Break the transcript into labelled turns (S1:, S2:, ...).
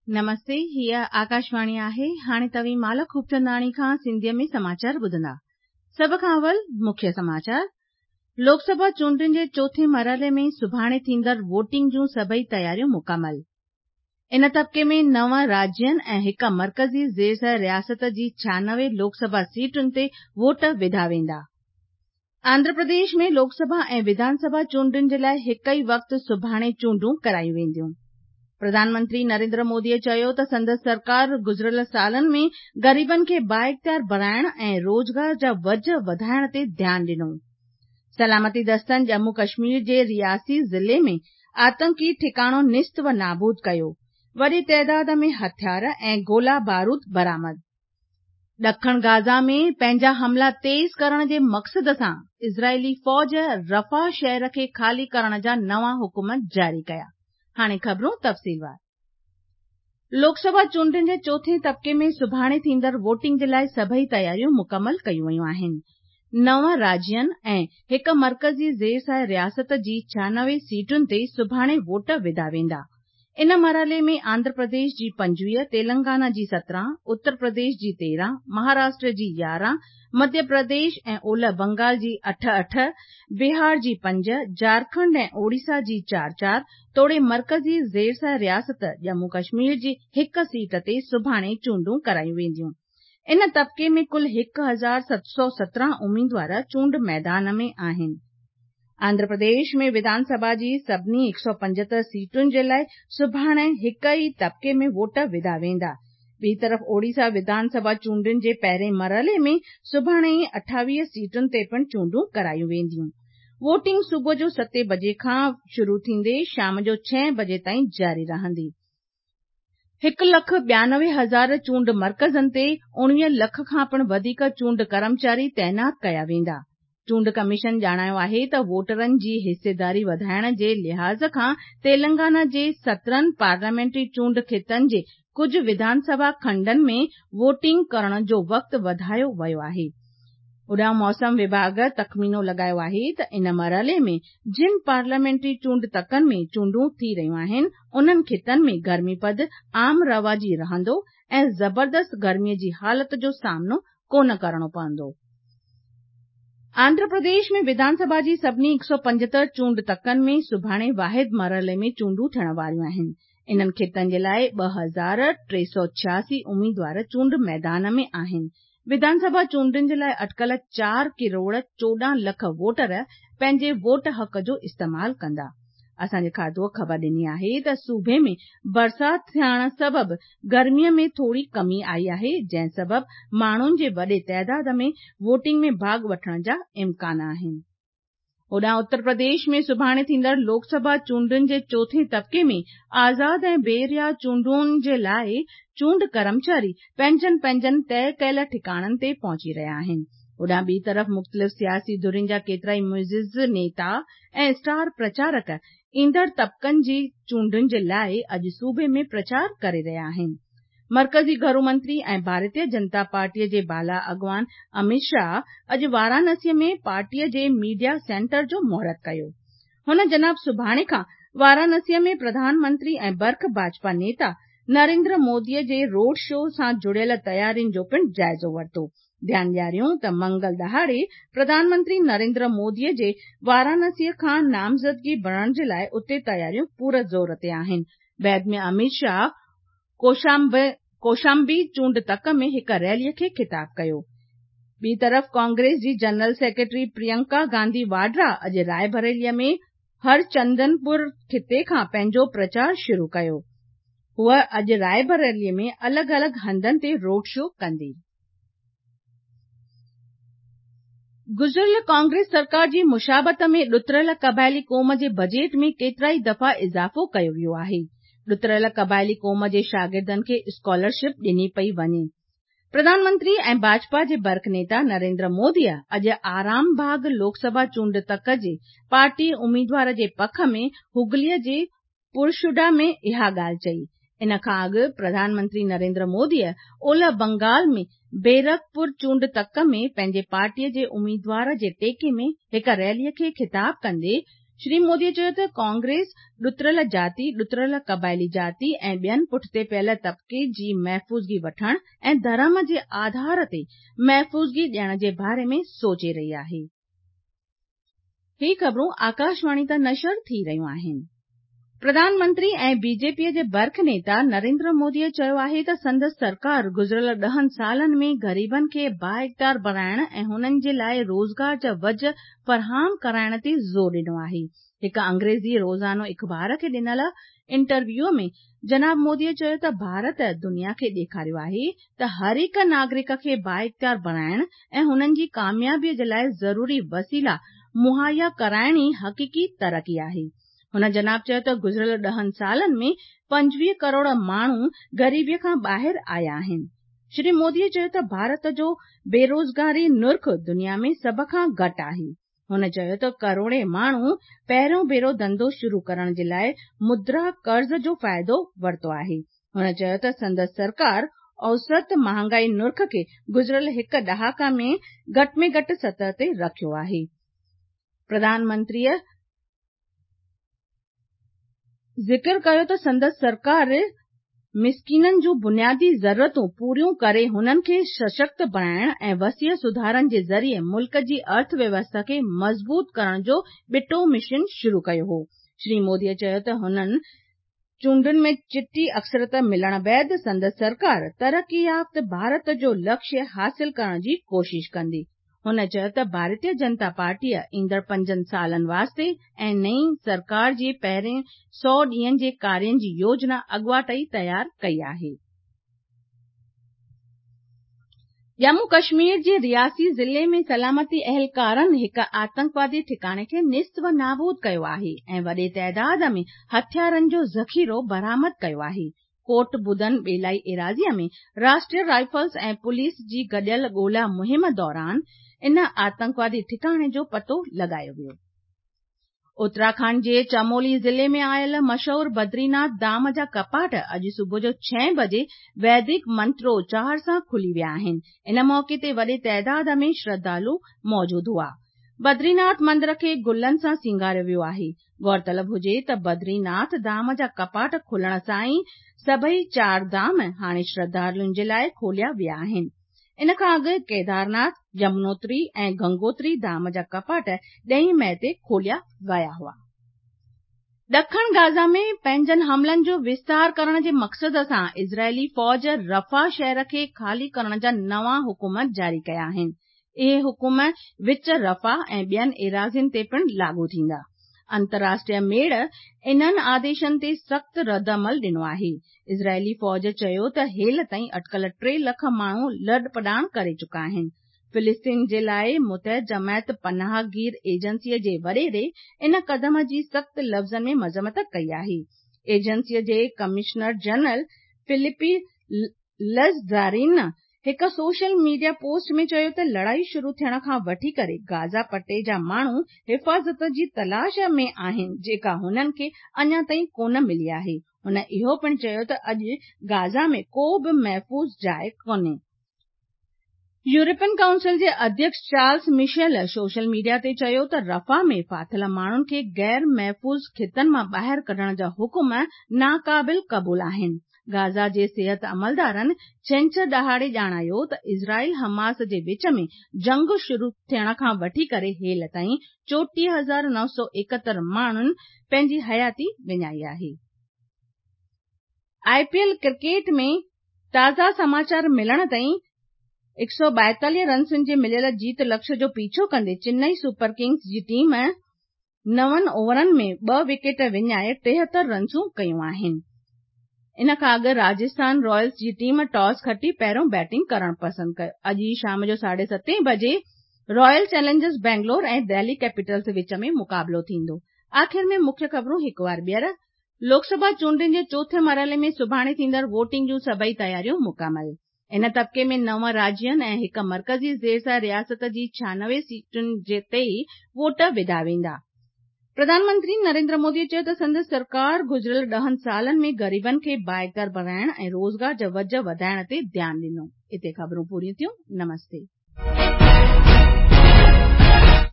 S1: نمستي، هيء آڪاشواڻي آهي. هاڻي توهين مالڪ خوبچنداڻي کان سنڌيء ۾ سماچار ٻڌندا. سڀ کان اول مکيه سماچار. لوڪ سڀا چونڊن جي چوٿين مرحلي ۾ سڀاڻي ٿيندڙ ووٽنگ جون سڀئي تياريون مڪمل. ان طبقي ۾ نو راجين ۽ هڪ مرڪزي زير رياست جي 96 لوڪ سڀا سيٽن تي ووٽ وڌا ويندا. آنڌرا پرديش ۾ لوڪ سڀا ۽ وڌان سڀا چونڊن جي لاء هڪ ئي وقت سڀاڻي چونڊون ڪرايون وينديون. پرڌان منتري نريندر موديء چيو ته سندس سرڪار گذريل سالن ۾ غريبن کي بااختيار بڻائڻ ۽ روزگار جا وجهه وڌائڻ تي ڌيان ڏنو. سلامتي دستن ڄمون ڪشمير جي رياسي ضلعي ۾ آتنڪي ٺڪاڻو نيست و نابود ڪيو، وڏي تعداد ۾ هٿيار ۽ گولا بارود برآمد. ڏکڻ غازه ۾ پنهنجا حملا تيز ڪرڻ جي مقصد سان اسرائيلي فوج رفح شهر کي خالي ڪرڻ جا نوان حڪم جاري ڪيا. هاڻي خبرون تفصيلوار. لوڪ سڀا چونڊن جي چوٿين طبقي ۾ سڀاڻي ٿيندڙ ووٽنگ جي لاء سڀئي تياريون مڪمل ڪيون ويون آهن. نو راجين ۽ هڪ مرڪزي زير سايه رياست جي 96 سيٽن تي سڀاڻي ووٽ وڌا ويندا. ان مرحلي ۾ آنڌرا پرديش جي 25، تيلنگانا جي 17، اتر پرديش جي 13، مهاراشٽر جي 11، مڌيه پرديش ۽ اولهه بنگال جي اٺ اٺ، بهار جي پنج، جهارکنڊ ۽ اوڙيسا جي چار چار توڙي مرڪزي زير سايه رياست ڄمون ڪشمير جي هڪ سيٽ تي سڀاڻي چونڊون ڪرايون وينديون. ان طبقي ۾ ڪل 1717 اميدوار چونڊ ميدان ۾ آهن. آنڌرا پرديش ۾ وڌان سڀا جي سڀني 175 سيٽن جي لاء سڀاڻي هڪ ئي طبقي ۾ ووٽ وڌا ويندا. ٻي طرف اوڙيسا وڌان سڀا چونڊن جي پهرين مرحلي ۾ سڀاڻي ئي 28 سيٽن تي پڻ چونڊون ڪرايون وينديون. ووٽنگ صبح جو ستين بجي کان شروع ٿيندي شام جو ڇهين بجي تائين جاري رهندي. هڪ لک 92 هزار چونڊ مرڪزن تي 19 لک کان پڻ وڌيڪ چونڊ ڪرمچاري تعينات ڪيا ويندا. چونڊ ڪميشن ڄاڻايو آهي ته ووٽرن جي حصيداري وڌائڻ جي لحاظ کان تيلنگانا جي 17 پارليامينٽري چونڊ خطن جي ڪجهه وڌان سڀا کنڊن ۾ ووٽنگ ڪرڻ جو وقت وڌايو ويو آهي. هوڏانهن موسم وڀاڳ تخمينو لڳايو آهي ته ان مرحلي ۾ جن پارليامينٽري چونڊ تڪن ۾ چونڊون ٿي رهيون آهن، انهن خطن ۾ گرمي پد عام رواجي رهندو ۽ زبردست گرمي جي حالت جو سامنو ڪونه ڪرڻو پوندو. آنڌرا پرديش ۾ وڌان سڀا جي سڀني 175 چونڊ تڪن ۾ سڀاڻي واحد مرحلي ۾ چونڊون ٿيڻ واريون آهن. انهن خطن جي لاء 2386 اميدوار چونڊ ميدان ۾ آهن. وڌان سڀا چونڊن جي لاء اٽڪل چار ڪروڙ 14 لک ووٽر پنهنجي ووٽ حق جو استعمال ڪندا. اسان جي کاتوء خبر ڏني آهي ته صوبي ۾ برسات ٿيڻ سبب گرمي ۾ ٿوري ڪمي آئي آهي، جنهن سبب ماڻهن جي وڏي تعداد ۾ ووٽنگ ۾ ڀاڳ وٺڻ جا امڪان آهن. هوڏانهن اتر پرديش ۾ سڀاڻي ٿيندڙ لوڪ سڀا چونڊن جي چوٿين طبقي ۾ آزاد ۽ بي ريا چونڊن جي لاء چونڊ ڪرمچاري پنهنجن پنهنجن طئي ڪيل ٺڪاڻن تي پهچي رهيا آهن. هوڏانهن ٻي طرف مختلف سياسي ڌرين جا ڪيترائي معزز نيتا ۽ اسٽار پرچارڪ ايندڙ طبقن جي چونڊن جي لاء اڄ صوبي ۾ پرچار ڪري رهيا آهن. مرڪزي گهرو منتري ۽ ڀارتيه جنتا پارٽيء جي بالا اڳواڻ اميت شاهه اڄ وارانسيء ۾ پارٽيء جي ميڊيا سينٽر جو مهورت ڪيو. هن جناب سڀاڻي کان وارانسيء ۾ پرڌان منتري ۽ برک ڀاجپا نيتا نريندر موديء جي روڊ شو سان جڙيل تيارين جو پڻ جائزو ورتو. ڌيان ڏياريون ته منگل ڏهاڙي پرڌان منتري نريندر موديء جي وارانسيء کان نامزدگي ڀرڻ جي لاء اتي تياريون پور زور تي آهن. بعد ۾ اميت شاهه ڪوشامبي چونڊ تڪ ۾ هڪ ريلي کي خطاب ڪيو. ٻي طرف ڪانگريس جي جنرل سيڪريٽري پريانڪا گانڌي واڊرا اڄ راء بريلي ۾ هرچندنپور خطي کان پنهنجو پرچار شروع ڪيو. هوء اڄ راء بريلي ۾ الڳ الڳ هنڌن تي روڊ شو ڪندي. گذريل ڪانگريس سرڪار جي مشابهت ۾ ڏتڙيل قبائلي قوم جي بجيٽ ۾ ڪيترائي دفعا اضافو ڪيو ويو آهي. ڏتڙيل قبائلي قوم جي شاگردن کي اسڪالرشپ ڏني پئي وڃي. پرڌان منتري ۽ ڀاجپا جي برک نيتا نريندر موديء اڄ آرام باغ لوڪ سڀا چونڊ تڪ جي پارٽي اميدوار جي پک ۾ هگليء جي پرشوڊا ۾ اها ڳالهه چئي. ان کان اڳ پرڌان منتري نريندر موديء اولهه بنگال ۾ بيرڪپور چونڊ تڪ ۾ پنهنجي پارٽيء جي اميدوار جي ٽيڪي ۾ هڪ ريليء کي خطاب ڪندي شري موديء چيو ته ڪانگريس ڏتڙيل جاتي، ڏتڙيل قبائلي جاتي ۽ ٻين پٺتي پيل طبقي جي محفوظگي وٺڻ ۽ ڌرم جي آڌار تي محفوظگي ڏيڻ جي باري ۾ سوچي رهي آهي. هي خبرون آڪاشواڻي تان نشر ٿي رهيون آهن. پرڌان منتري ۽ بي جي پي جي برک نيتا نريندر موديء چيو آهي ته سندس سرڪار گذريل ڏهن سالن ۾ غريبن کي بااختيار بڻائڻ ۽ هنن جي لاء روزگار جا وجهه فراهم ڪرائڻ تي زور ڏنو آهي. هڪ انگريزي روزانو اخبار کي ڏنل انٽرويوء ۾ جناب موديء چيو ته ڀارت دنيا کي ڏيکاريو آهي ته هر هڪ ناگرڪ کي بااختيار بڻائڻ ۽ هنن جي ڪاميابيء جي لاء ضروري وسيلا مهيا ڪرائڻ ئي حقيقي ترقي آهي. هن جناب چيو ته گذريل ڏهن سالن ۾ 25 ڪروڙ ماڻهو غريبيء کان ٻاهر آيا آهن. شري موديء چيو ته ڀارت جو بيروزگاري نرخ دنيا ۾ سڀ کان گهٽ آهي. هن چيو ته ڪروڙين ماڻهو پهريون ڀيرو ڌنڌو شروع ڪرڻ جي لاء مدرا قرض جو فائدو ورتو آهي. هن چيو ته سندس سرڪار اوسط مهانگائي نرخ کي گذريل هڪ ڏهاڪا ۾ گهٽ ۾ گهٽ سطح تي رکيو آهي. پرڌان منتريء ذڪر ڪيو ته سندس سرڪار مسڪينن جون بنيادي ضرورتون پوريون ڪري هنن کي سشڪت بڻائڻ ۽ وسيع سڌارن جي ذريعي ملڪ جي ارٿ ويوسٿا کي مضبوط ڪرڻ جو ٻٽو مشن شروع ڪيو هو. شري موديء چيو ته هنن چونڊن ۾ چٽي اڪثريت ملڻ بعد سندس سرڪار ترقي يافته ڀارت جو لڪشيه حاصل ڪرڻ جي ڪوشش ڪندي. هن چيو ته ڀارتيه جنتا پارٽيء ايندڙ پنجن سالن واسطي ۽ نئين سرڪار جي پهرين سئو ڏينهن جي ڪارين جي يوجنا اڳواٽ ئي تيار ڪئي آهي. ڄمون ڪشمير جي رياسي ضلعي ۾ سلامتي اهلڪارن هڪ آتنڪوادي ٺڪاڻي کي نيست و نابود ڪيو آهي ۽ وڏي تعداد ۾ هٿيارن جو ذخيرو برآمد ڪيو آهي. ڪوٽ بدن ٻيلائي ايراضيء ۾ راشٽريه رائفلز ۽ پوليس جي گڏيل ڳولا مهم دوران ان آتنڪوادي ٺڪاڻي جو پتو لڳايو ويو. اتراکنڊ جي چمولي ضلعي ۾ آيل مشهور بدريناٿ ڌام جا ڪپاٽ اڄ صبح جو ڇهين بجي ويدڪ منتروچار سان کلي ويا آهن. ان موقعي تي وڏي تعداد ۾ شرڌالو موجود هئا. بدريناٿ مندر کي گلن سان سينگاريو ويو آهي. غور طلب هجي ته بدري ناٿ ڌام جا ڪپاٽ کلڻ سان ئي سڀئي چار ڌام هاڻي شرڌالن جي لاء کوليا ويا آهن. ان کان اڳ ڪيدارناٿ، يمنوتري ۽ گنگوتري ڌام جا ڪپاٽ ڏهين مئي تي کوليا ويا هئا. ڏکڻ غازه ۾ پنهنجن حملن جو وستار ڪرڻ جي مقصد سان اسرائيلي فوج رفح شهر کي خالي ڪرڻ جا نوان حڪم جاري ڪيا آهن. اهي حڪم وچ رفح ۽ ٻين ايراضين تي پڻ لاڳو ٿيندا. انترراشٽريه ميڙ انهن آديشن تي سخت ردعمل ڏنو آهي. اسرائيلي فوج چيو ته هيل تائين اٽڪل 3 لک ماڻهو لڏپلاڻ ڪري چڪا آهن. فلسطين جي لاء متحد جماعت پناهگير ايجنسي جي وڏيري ان قدم جي سخت لفظن ۾ مذمت ڪئي آهي. ايجنسي جي ڪمشنر جنرل فلپي لزدارين هڪ سوشل ميڊيا پوسٽ ۾ چيو ته لڙائي شروع ٿيڻ کان وٺي ڪري غازه پٽي جا ماڻهو حفاظت جي تلاش ۾ آهن جيڪا هنن کي اڃا تائين ڪونه ملي آهي. هن اهو پڻ چيو ته اڄ غازه ۾ ڪو به محفوظ جاء ڪونهي. يورپين ڪائونسل جي اڌيڪش چارلس مشيل سوشل ميڊيا تي چيو ته رفح ۾ ڦاٿل ماڻهن کي غير محفوظ خطن مان ٻاهر ڪڍڻ جا حڪم ناقابل قبول آهن. غازه جي صحت عملدارن ڇنڇر ڏهاڙي ڄاڻايو ته اسرائيل حماس جي وچ ۾ جنگ شروع ٿيڻ کان وٺي ڪري هيل تائين 34971 ماڻهن پنهنجي حياتي وڃائي آهي. آء پي ايل ڪرڪيٽ ۾ تازا سماچار ملڻ تائين 142 رنسن جي مليل جيت لڪش جو پيڇو ڪندي چنئي سپر ڪنگز جي ٽيم نون اوورن ۾ ٻه وڪيٽ وڃائي 73 رنسون ڪيون آهن. ان کان اڳ راجسٿان رائلز جي ٽيم ٽاس کٽي پهريون بيٽنگ ڪرڻ پسند ڪيو. اڄ ئي شام جو ساڍي ستين بجي Royal Challengers Bangalore ۽ Delhi Capitals وچ ۾ مقابلو ٿيندو. آخر ۾ مکيه خبرون هڪ وار ٻيهر. لوڪ سڀا چونڊن جي چوٿين مرحلي ۾ سڀاڻي ٿيندڙ ووٽنگ جون سڀئي تياريون مڪمل. ان طبقي ۾ نو راجين ۽ هڪ مرڪزي زيرسايه رياست جي 96 سيٽن تي ووٽ وڌا ويندا. پرڌان منتري نريندر مودي چيو ته سندس سرڪار گذريل ڏهن سالن ۾ غريبن کي بااختيار بڻائڻ ۽ روزگار جا وجهه وڌائڻ تي ڌيان ڏنو. اتي خبرون پوريون ٿيون. نمستي.